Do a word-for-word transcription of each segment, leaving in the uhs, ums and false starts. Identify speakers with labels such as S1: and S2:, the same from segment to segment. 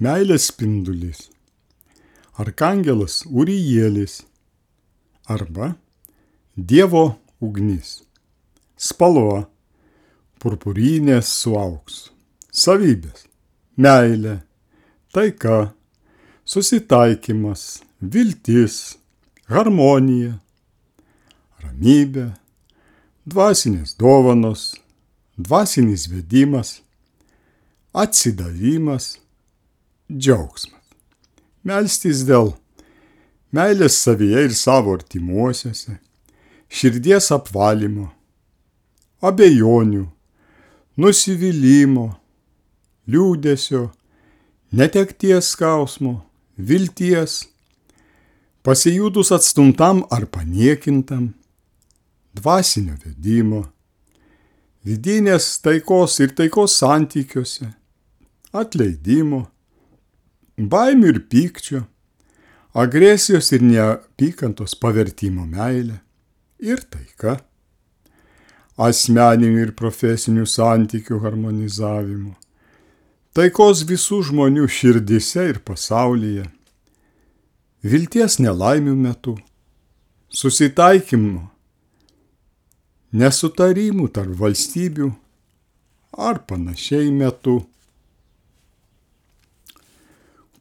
S1: meilės spindulys, arkangelas Urijelis arba Dievo ugnis, spalva, purpurinės su auksu, savybės, meilė, taika, susitaikymas, viltis, harmonija, ramybė, dvasinės dovanos, dvasinis vedimas, atsidavimas, džiaugsmas. Melstis dėl meilės savyje ir savo artimuosiuose, širdies apvalymo, abejonių, nusivylimų, liūdesio, netekties skausmo, vilties, pasijūtus atstumtam ar paniekintam, dvasinio vedimo, vidinės taikos ir taikos santykiuose, atleidimo, baimių ir pykčio, agresijos ir neapykantos pavertimo meilė ir taika, asmeninių ir profesinių santykių harmonizavimo, taikos visų žmonių širdise ir pasaulyje, vilties nelaimių metu, susitaikymo, nesutarimų tarp valstybių ar panašiai metu.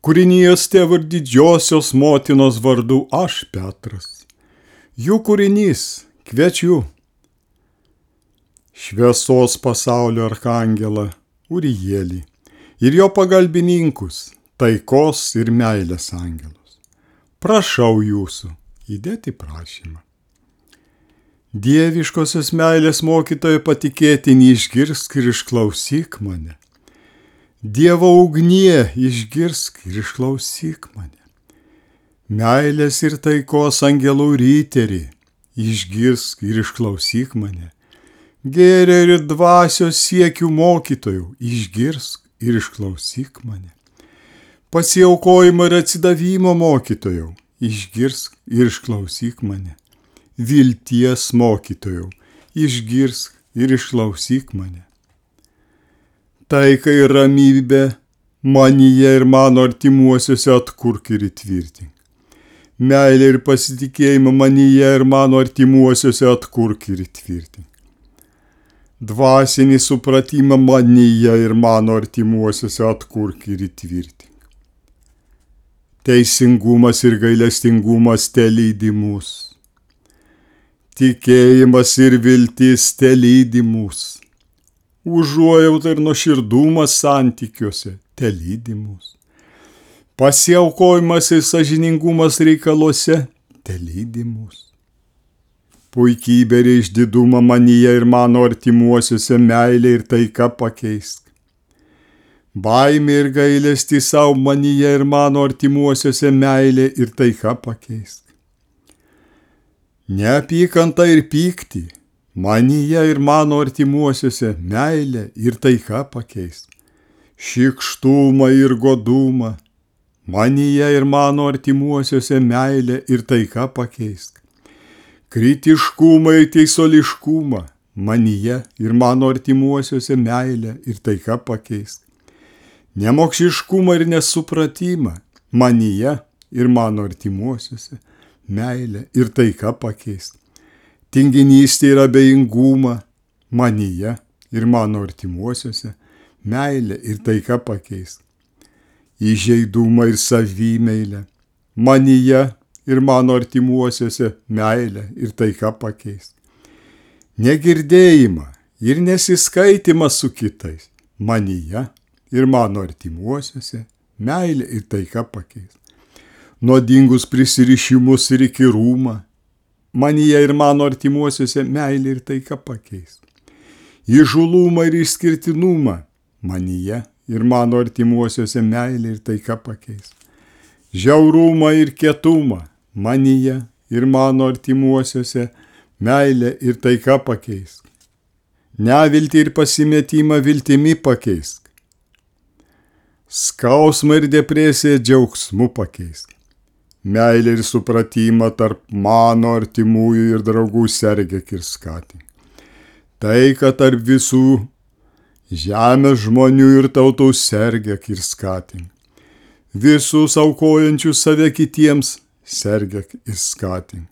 S1: Kūrinijos tėvo ir didžiosios motinos vardu aš, Petras, jų kūrinys, kviečiu, šviesos pasaulio arkangelą Urijelį ir jo pagalbininkus, taikos ir meilės angelus. Prašau jūsų įdėti prašymą. Dieviškosios meilės mokytojo patikėtinį išgirsk ir išklausyk mane. Dievo ugnie išgirsk ir išklausyk mane. Meilės ir taikos angelų ryterį išgirsk ir išklausyk mane. Gėrio ir dvasios siekių mokytojų išgirsk ir išklausyk mane. Pasiaukojimo ir atsidavimo mokytojų išgirsk ir išklausyk mane. Vilties mokytojų išgirsk ir išklausyk mane. Taiką ir ramybę manyje ir mano artimuosiuose atkurk ir įtvirtink. Meilę ir pasitikėjimą manyje ir mano artimuosiuose atkurk ir įtvirtink. Dvasinį supratimą manyje ir mano artimuosiuose atkurk ir įtvirtink. Teisingumas ir gailestingumas telydi mus. Tikėjimas ir viltis telydi mus. Užuojauta ir nuoširdumas santykiuose telydi mus. Pasiaukojimas ir sąžiningumas reikaluose telydi mus. Puikybė ir išdidumą manyje ir mano artimuosiuose meilė ir taika pakeisk. Baimė ir gailestį savo manyje ir mano artimuosiuose meilė ir taika pakeisk. Neapykanta ir pyktį manyje ir mano artimuosiuose meilė ir taika pakeisk. Šykštumą ir godumą manyje ir mano artimuosiuose meilė ir taika pakeisk. Kritiškumą ir teisuoliškumą manyje ir mano artimuosiuose meilę ir taika pakeisk. Nemokšiškumą ir nesupratimą manyje ir mano artimuosiuose meilę ir taika pakeisk. Tinginystę ir abejingumą manyje ir mano artimuosiuose meilę ir taika pakeisk. Įžeidumą ir savimeilę manyje ir mano artimuosiuose meilę ir taika pakeisk. Negirdėjimą ir nesiskaitimą su kitais manyje ir mano artimuosiuose meilę ir taika pakeisk. Nuodingus prisirišimus ir įkyrumą manyje ir mano artimuosiuose meilę ir taika pakeisk. Įžūlumą ir išskirtinumą manyje ir mano artimuosiuose meilę ir taika pakeisk. Žiaurumą ir kietumą manyje ir mano artimuosiuose meilę ir taika pakeisk. Neviltį ir pasimetimą viltimi pakeisk. Skausmą ir depresiją džiaugsmu pakeisk. Meilę ir supratimą tarp mano artimųjų ir draugų sergėk ir skatink. Taiką tarp visų žemės žmonių ir tautų sergėk ir skatink. Visus aukojančius save kitiems sergėk ir skatink.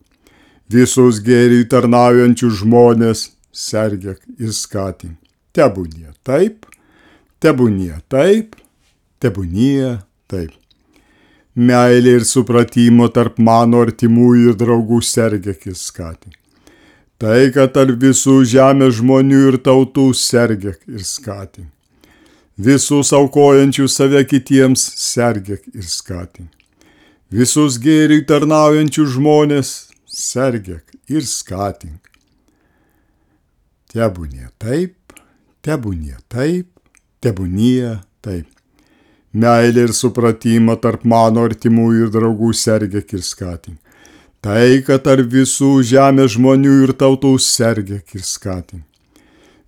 S1: Visus gėriui tarnaujančius žmonės sergėk ir skatink. Tebūnie taip, tebūnie taip, tebūnie taip. Meilė ir supratimo tarp mano artimųjų ir draugų sergėk ir skatink. Taiką tarp visų žemės žmonių ir tautų sergėk ir skatink. Visus aukojančius save kitiems sergėk ir skatink. Visus gėriui tarnaujančius žmonės sergėk ir skatink. Tebūnie taip, tebūnie taip, tebūnie taip. Meilė ir supratimą tarp mano artimųjų ir draugų sergėk ir skatink. Taiką tarp visų žemės žmonių ir tautų sergėk ir skatink.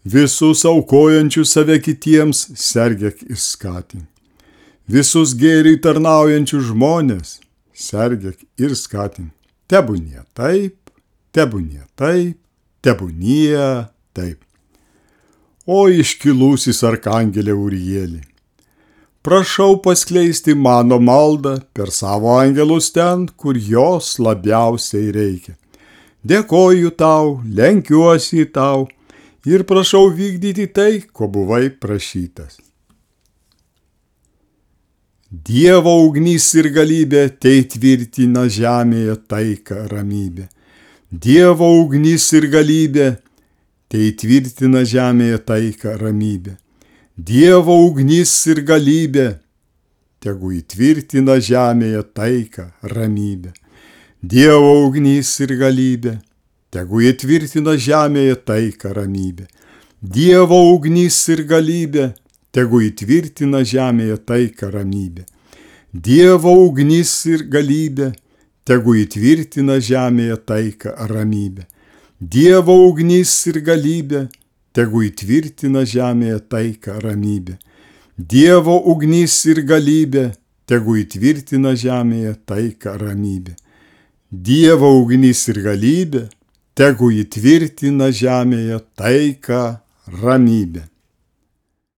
S1: Visus aukojančius save kitiems sergėk ir skatink. Visus gėriui tarnaujančius žmonės sergėk ir skatink. Tebūnie taip, tebūnie taip, tebūnie taip. O iškilusis arkangelė Urielį, prašau paskleisti mano maldą per savo angelus ten, kur jos labiausiai reikia. Dėkoju tau, lenkiuosi tau ir prašau vykdyti tai, ko buvai prašytas. Dievo ugnis ir galybė teitvirtina žemėje taiką ramybę. Dievo ugnis ir galybė teitvirtina žemėje taiką ramybę. Dievo ugnis ir galybė tegu įtvirtina žemėje taiką ramybę. Dievo ugnis ir galybė tegu įtvirtina žemėje taiką ramybę. Dievo ugnis ir galybė tegu įtvirtina žemėje taiką ramybę. Dievo ugnis ir galybė tegu įtvirtina žemėje taiką ramybę. Dievo ugnis ir galybė tegu įtvirtina žemėje taiką ramybę. Dievo ugnis ir galybė tegu įtvirtina žemėje taiką ramybę. Dievo ugnis ir galybė tegu įtvirtina žemėje taiką ramybę.